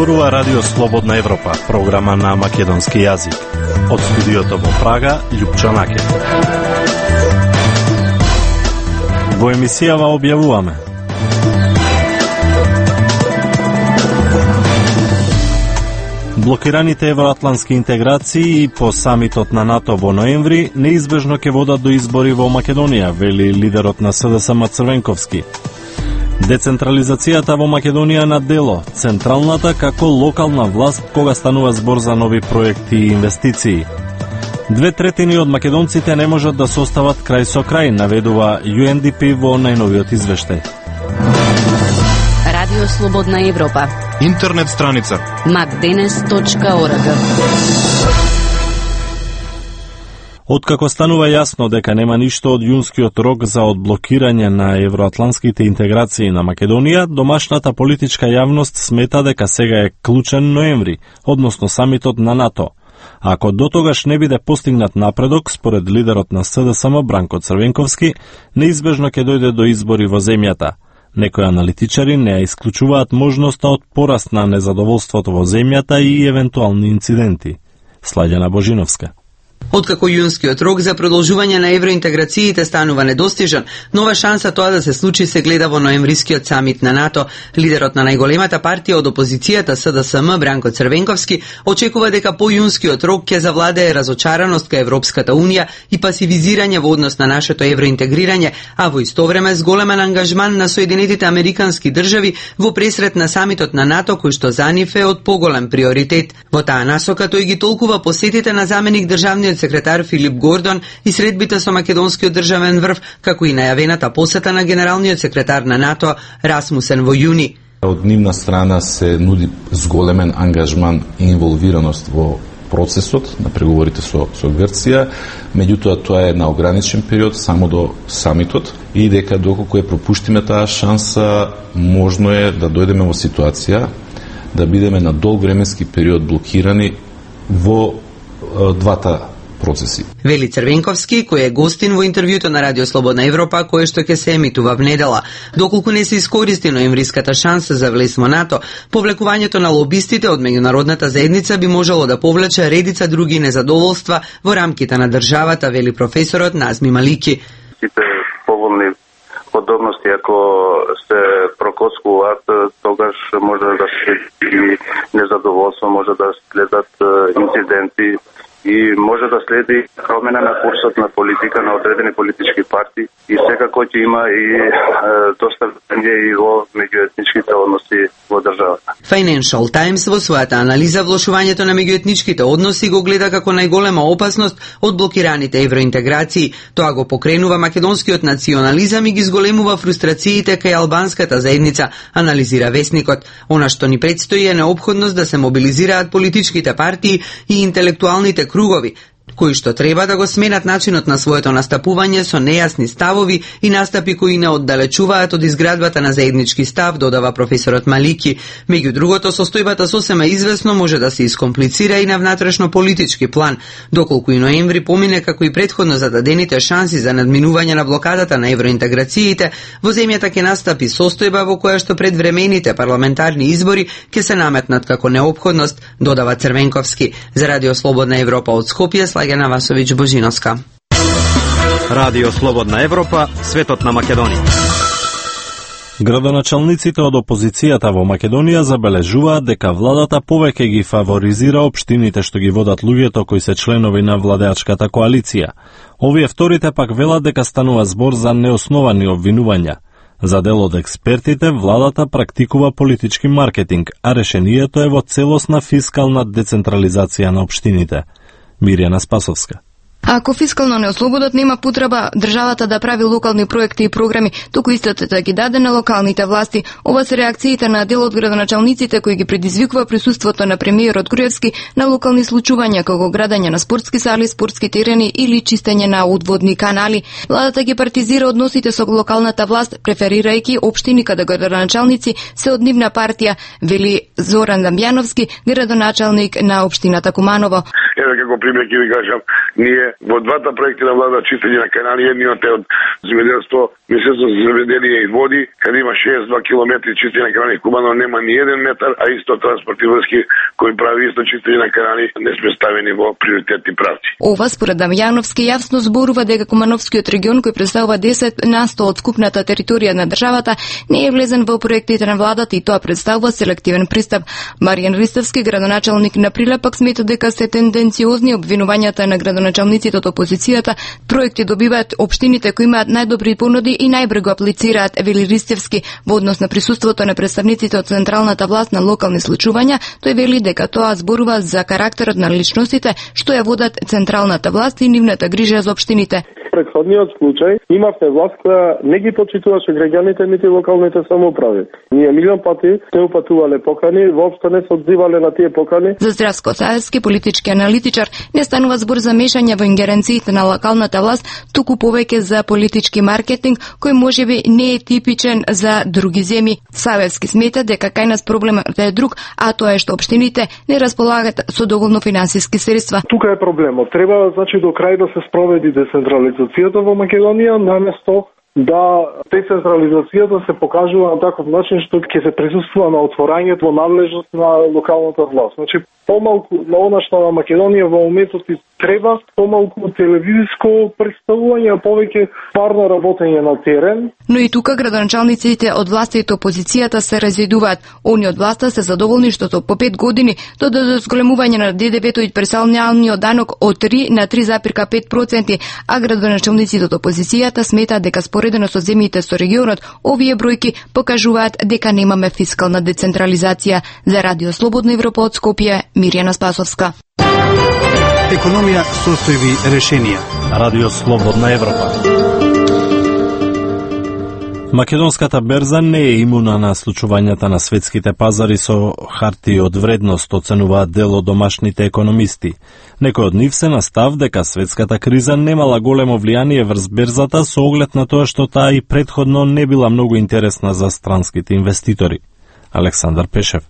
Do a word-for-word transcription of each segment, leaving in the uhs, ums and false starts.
Зборува Радио Слободна Европа, програма на македонски јазик. Од студиото во Прага, Љупчо Наке. Во емисијава објавуваме: блокираните евроатлантски интеграции по самитот на НАТО во ноември неизбежно ќе водат до избори во Македонија, вели лидерот на СДСМ Црвенковски. Децентрализацијата во Македонија на дело, централната како локална власт кога станува збор за нови проекти и инвестиции. Две третини од македонците не можат да се остават крај со крај, наведува Ю Ен Ди Пи во најновиот извештај. Радио Слободна Европа. Интернет страница макденес точка орг. Откако станува јасно дека нема ништо од јунскиот рок за одблокирање на евроатлантските интеграции на Македонија, домашната политичка јавност смета дека сега е клучен ноември, односно самитот на НАТО. Ако до тогаш не биде постигнат напредок, според лидерот на СДСМ Бранко Црвенковски, неизбежно ќе дојде до избори во земјата. Некои аналитичари не ја исклучуваат можноста од пораст на незадоволството во земјата и евентуални инциденти. Слаѓана Божиновска. Откако јунскиот рок за продолжување на евроинтеграциите станува недостижен, нова шанса тоа да се случи се гледа во ноемврискиот самит на НАТО. Лидерот на најголемата партија од опозицијата СДСМ Бранко Црвенковски очекува дека по јунскиот рок ќе завладее разочараност кај Европската унија и пасивизирање во однос на нашето евроинтегрирање, а во исто време с големен ангажман на Соединетите Американски држави во пресрет на самитот на НАТО, кој што за нив е од поголем приоритет. Во таа насока тој ги толкува посетите на заменик државниот секретар Филип Гордон и средбите со македонскиот државен врв, како и најавената посета на генералниот секретар на НАТО Расмусен во јуни. Од нивна страна се нуди зголемен ангажман и инволвираност во процесот на преговорите со, со Грција, меѓутоа тоа е на ограничен период, само до самитот, и дека доколку е пропуштиме таа шанса, можно е да дојдеме во ситуација да бидеме на долг временски период блокирани во двата процеси. Вели Црвенковски, кој е гостин во интервјуто на Радио Слободна Европа, кое што ќе се емитува внедела. Доколку не се искористи ноемвриската шанса за влез во НАТО, повлекувањето на лобистите од меѓународната заедница би можело да повлече редица други незадоволства во рамките на државата, вели професорот Назми Малики. Сите поволни подобности, ако се прокоскуваат, тогаш може да се и незадоволство, може да следат инциденти и може да следи промена на курсот на политика на одредени политички партии и секако ќе има и е, доста врење и во меѓуетничките односи во државата. Financial Times во својата анализа влошувањето на меѓуетничките односи го гледа како најголема опасност од блокираните евроинтеграции. Тоа го покренува македонскиот национализам и ги зголемува фрустрациите кај албанската заедница, анализира весникот. Она што ни предстои е неопходност да се мобилизираат политичките партии и интелектуалните кругови, кои што треба да го сменат начинот на своето настапување со нејасни ставови и настапи кои не оддалечуваат од изградбата на заеднички став, додава професорот Малики. Меѓу другото, состојбата сосема извесно може да се искомплицира и на внатрешно политички план, доколку и ноември помине како и претходно зададените шанси за надминување на блокадата на евроинтеграциите, во земјата ќе настапи состојба во која што предвремените парламентарни избори ќе се наметнат како неопходност, додава Црвенковски. За Радио Слободна Европа од Скопје, Слаѓана Васовиќ Божиновска. Радио Слободна Европа, светот на Македонија. Градоначалниците од опозицијата во Македонија забележуваат дека владата повеќе ги фаворизира општините што ги водат луѓето кои се членови на владеачката коалиција. Овие вторите пак велат дека станува збор за неосновани обвинувања. За дел од експертите, владата практикува политички маркетинг, а решението е во целосна фискална децентрализација на општините. Мирјана Спасовска. Ако фискално не ослободат, нема потреба државата да прави локални проекти и програми, туку истото да ги даде на локалните власти. Ова се реакциите на дел од градоначалниците кои ги предизвикува присуството на премиерот Груевски на локални случувања како градење на спортски сали, спортски терени или чистење на одводни канали. Владата ги партизира односите со локалната власт, преферирајќи општини каде градоначалници се од нивна партија, вели Зоран Дамјановски, градоначалник на општината Куманово. Еве како пример ќе ви кажам, ние во двата проекти на влада чистење на канали, едниот е од земјоделство, Министерство за земјоделие и води, каде има шеесет и два километри чистење на канали Кубано, нема ни еден метар, а исто транспортни врски кои прави исто чистење на канали не сме ставени во приоритетни правци. Ова според Дамјановски јасно зборува дека Кумановскиот регион, кој представува десет на сто од скупната територија на државата, не е влезен во проектите на владата и тоа представува селективен пристап. Маријан Ристовски, градоначалник на Прилепак, смета дека се тенденциозни обвинувањата на градоначалниците од опозицијата. Проекти добиваат општините кои имаат најдобри понуди и најбрзо го аплицираат, вели Ристевски. Во однос на присуството на представниците од централната власт на локални случувања, тој вели дека тоа зборува за карактерот на личностите што ја водат централната власт и нивната грижа за општините. Предходниот случај имавте власт која не ги почитуваше граѓаните нити локалните самоуправи. Ние милион пати те упатувале покани, воопшто не се одзивале на тие покани. За Здравко Саевски, политички аналитичар, не станува збор за мешање во ингеренциите на локалната власт, туку повеќе за политички маркетинг кој можеби не е типичен за други земји. Саевски смета дека кај нас проблемот е друг, а тоа е што општините не располагат со доволно финансиски средства. Тука е проблемот. Треба значи до крај да се спроведи децентрализацијата во Македонија, наместо да децентрализацијата се покажува на таков начин што ќе се присуствува на отворањето во надлежност на локалната власт. Значи помалку на она што на Македонија во моментот и треба, помалку телевизиско представување, а повеќе парно работење на терен. Но и тука градоначалниците од власта и опозицијата се разидуваат. Они од власта се задоволни што по пет години додадат зголемување на ДДВ-то и персоналниот данок од три на три запирка пет проценти, а градоначалниците од опозицијата сметаат дека споредено со земјите со регионот, овие бројки покажуваат дека немаме фискална децентрализација. За Радио Слободна Европа од Скопје, Мирјана Спасовска. Економија, состојби, решенија. Радио Слободна Европа. Македонската берза не е имуна на случувањата на светските пазари со хартии од вредност, оценуваат дел од домашните економисти. Некој од нив се на став дека светската криза немала големо влијание врз берзата со оглед на тоа што таа и претходно не била многу интересна за странските инвеститори. Александар Пешев.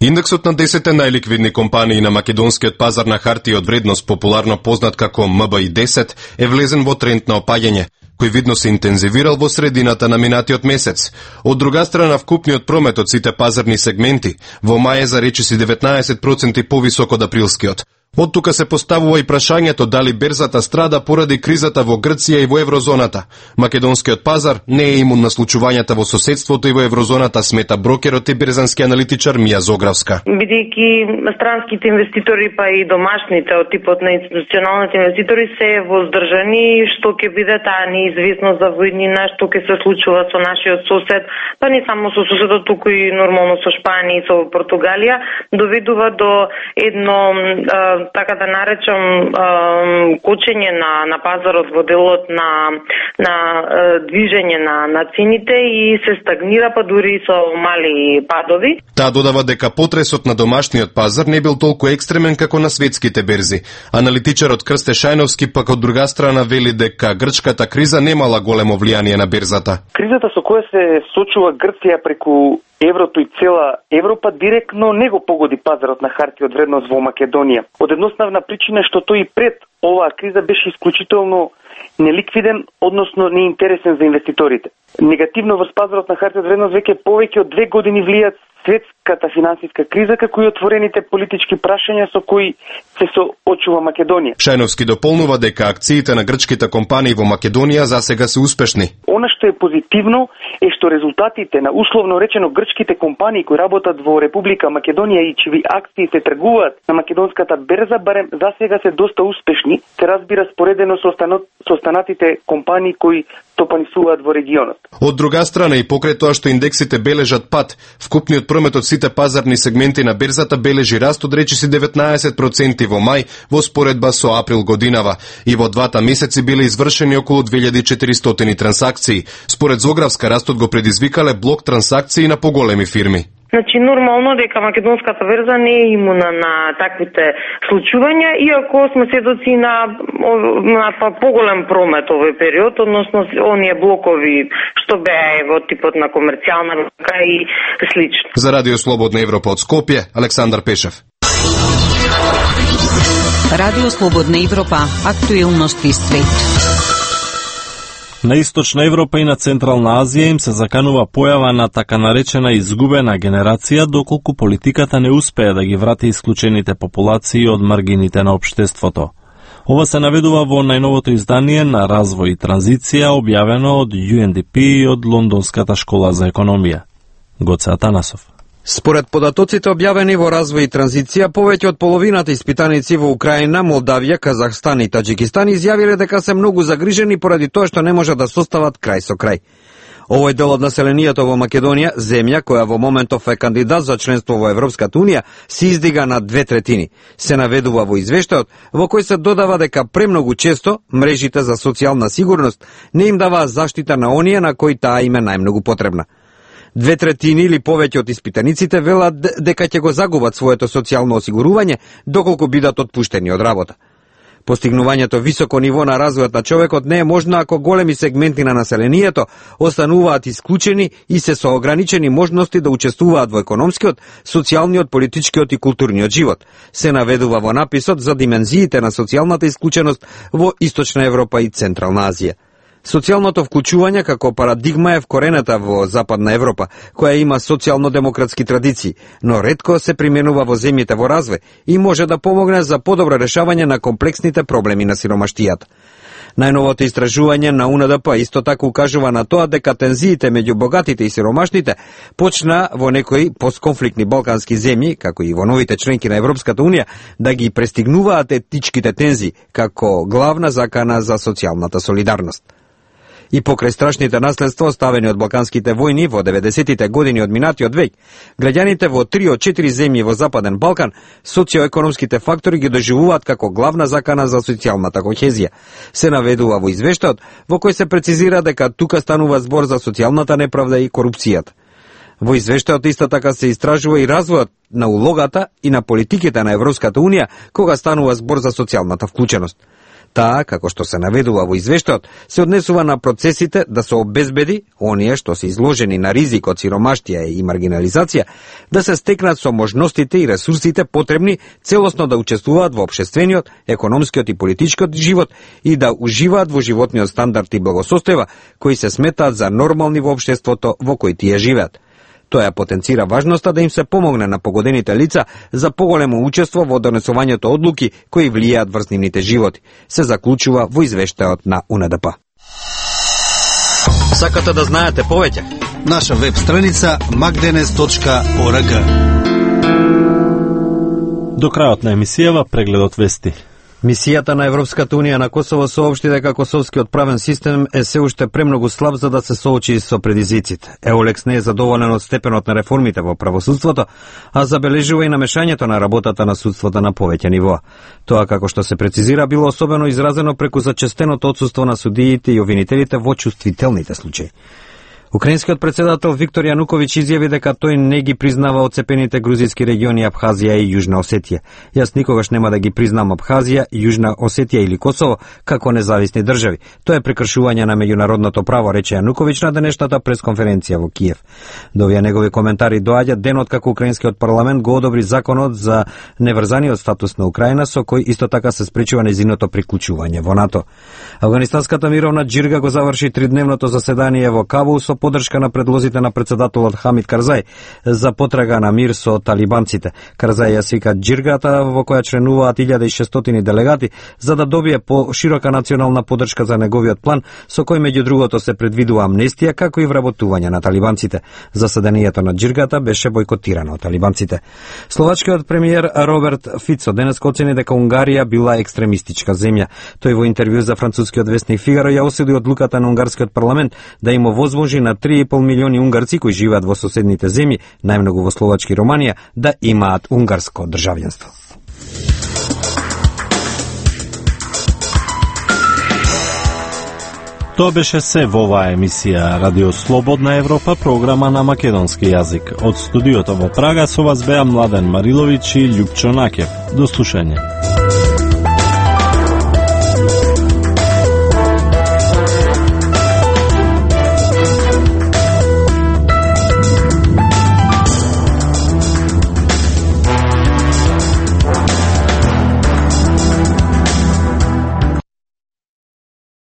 Индексот на десетте најликвидни компании на македонскиот пазар на хартии од вредност, популарно познат како М Б И десет, е влезен во тренд на опаѓање, кој видно се интензивирал во средината на минатиот месец. Од друга страна, вкупниот промет од сите пазарни сегменти во мај е за речиси деветнаесет проценти повисок од априлскиот. Од тука се поставува и прашањето дали берзата страда поради кризата во Грција и во еврозоната. Македонскиот пазар не е имун на случувањата во соседството и во еврозоната, смета брокерот и берзански аналитичар Мија Зогравска. Бидејќи странските инвеститори па и домашните од типот на институционалните инвеститори се воздржани, што ќе биде таа неизвестност за војнина, што ќе се случува со нашиот сосед, па не само со соседот, туку и нормално со Шпанија и со Португалија, доведува до едно така да наречам кочење на на пазарот во делот на на движење на на цените и се стагнира, па дури со мали падови. Таа додава дека потресот на домашниот пазар не бил толку екстремен како на светските берзи. Аналитичарот Крсте Шајновски пак од друга страна вели дека грчката криза немала големо влијание на берзата. Кризата со која се сочува Грција преку еврото и цела Европа директно не го погоди пазарот на хартии од вредност во Македонија. Од едноставна причина што тој и пред оваа криза беше исклучително неликвиден, односно неинтересен за инвеститорите. Негативно врз пазарот на хартии од вредност веќе повеќе од две години влијат светската финансиска криза, како и отворените политички прашања со кои се соочува Македонија. Шајновски дополнува дека акциите на грчките компании во Македонија засега се успешни. Она што е позитивно е што резултатите на условно речено грчките компании кои работат во Република Македонија и чиви акции се тргуваат на македонската берза барем засега се доста успешни, се разбира споредено со со останатите компании кои топанисуваат во регионот. Од друга страна и покрај тоа што индексите бележат пат, вкупниот промет од сите пазарни сегменти на берзата бележи раст од речиси деветнаесет проценти во мај во споредба со април годинава и во двата месеци биле извршени околу две илјади и четиристотини трансакции. Според Зогравска, растот го предизвикале блок трансакции на поголеми фирми. Значи, нормално дека македонската берза не е имуна на таквите случувања, иако сме сведоци на, на поголем промет овој период, односно оние блокови што беа во типот на комерцијална банка и слично. За Радио Слободна Европа од Скопје, Александар Пешев. Радио Слободна Европа, актуелности свет. На Источна Европа и на Централна Азија им се заканува појава на така наречена изгубена генерација, доколку политиката не успее да ги врати исклучените популации од маргините на општеството. Ова се наведува во најновото издание на Развој и транзиција, објавено од Ю Ен Ди Пи и од Лондонската школа за економија. Гоце Атанасов. Според податоците објавени во Развој и транзиција, повеќе од половината испитаници во Украина, Молдавија, Казахстан и Таџикистан изјавиле дека се многу загрижени поради тоа што не можат да состават крај со крај. Овој дел од населението во Македонија, земја која во моментов е кандидат за членство во Европската унија, се издига на две третини. Се наведува во извештајот, во кој се додава дека премногу често мрежите за социјална сигурност не им даваа заштита на оние на кои таа им е најмногу потребна. Две третини или повеќе од испитаниците велат дека ќе го загубат своето социјално осигурување доколку бидат отпуштени од работа. Постигнувањето високо ниво на развојот на човекот не е можно ако големи сегменти на населението остануваат исклучени и се со ограничени можности да учествуваат во економскиот, социјалниот, политичкиот и културниот живот. Се наведува во написот за димензиите на социјалната исклученост во Источна Европа и Централна Азија. Социјалното вклучување како парадигма е вкорената во Западна Европа, која има социјално-демократски традиции, но ретко се применува во земјите во развој и може да помогне за подобро решавање на комплексните проблеми на сиромаштијата. Најновото истражување на У Н Д П исто така укажува на тоа дека тензиите меѓу богатите и сиромашните почна во некои постконфликтни балкански земји, како и во новите членки на Европската унија, да ги престигнуваат етничките тензии како главна закана за социјалната солидарност. И покрај страшните наследства оставени од балканските војни во деветдесетите години од минатиот век, граѓаните во три од четири земји во Западен Балкан социоекономските фактори ги доживуваат како главна закана за социјалната кохезија. Се наведува во извештајот во кој се прецизира дека тука станува збор за социјалната неправда и корупцијата. Во извештајот исто така се истражува и развојот на улогата и на политиките на Европската унија кога станува збор за социјалната вклученост. Таа, како што се наведува во извештајот, се однесува на процесите да се обезбеди оние што се изложени на ризик од сиромаштија и маргинализација, да се стекнат со можностите и ресурсите потребни целосно да учествуваат во општествениот, економскиот и политичкиот живот и да уживаат во животниот стандард и благосостојба кои се сметаат за нормални во општеството во кој тие живеат. Тоа потенцира важноста да им се помогне на погодените лица за поголемо учество во донесувањето одлуки кои влијаат врз нивните животи, се заклучува во извештајот на У Н Д П. Сакате да знаете повеќе? Наша веб страница макденес точка орг. До крајот на емисијава прегледот вести. Мисијата на Европската унија на Косово соопшти дека косовскиот правен систем е се уште премногу слаб за да се соочи со предизвиците. Еолекс не е задоволен од степенот на реформите во правосудството, а забележува и намешањето на работата на судството на повеќе нивоа. Тоа, како што се прецизира, било особено изразено преку зачестеното отсуство на судиите и обвинителите во чувствителните случаи. Украинскиот председател Виктор Јануковиќ изјави дека тој не ги признава оцепените грузински региони Абхазија и Јужна Осетија. Јас никогаш нема да ги признам Абхазија, Јужна Осетија или Косово како независни држави. Тоа е прекршување на меѓународното право, рече Јануковиќ на денешната пресконференција во Киев. До овие негови коментари доаѓа денот како украинскиот парламент го одобри законот за неврзаниот статус на Украина, со кој исто така се спречува нејзиното приклучување во НАТО. Афганистанската мировна џирга го заврши тридневното заседание во Кабул со поддршка на предлозите на председателот Хамид Карзај за потрага на мир со талибанците. Карзај ја свика џиргата во која членуваат илјада и шестстотини делегати за да добие по широка национална поддршка за неговиот план со кој меѓу другото се предвидува амнестија како и вработување на талибанците. Заседанието на џиргата беше бойкотирано од талибанците. Словачкиот премиер Роберт Фицо денес оцени дека Унгарија била екстремистичка земја. Тој во интервју за францускиот весник Фигаро ја осуди одлуката на унгарскиот парламент да им овозможи на три и пол милиони унгарци кои живеат во соседните земји, најмногу во Словачка и Романија, да имаат унгарско државјанство. Тоа беше се во оваа емисија Радио Слободна Европа, програма на македонски јазик. Од студиото во Прага со вас беа Младен Мариловиќ и Љупчо Накев. До слушање.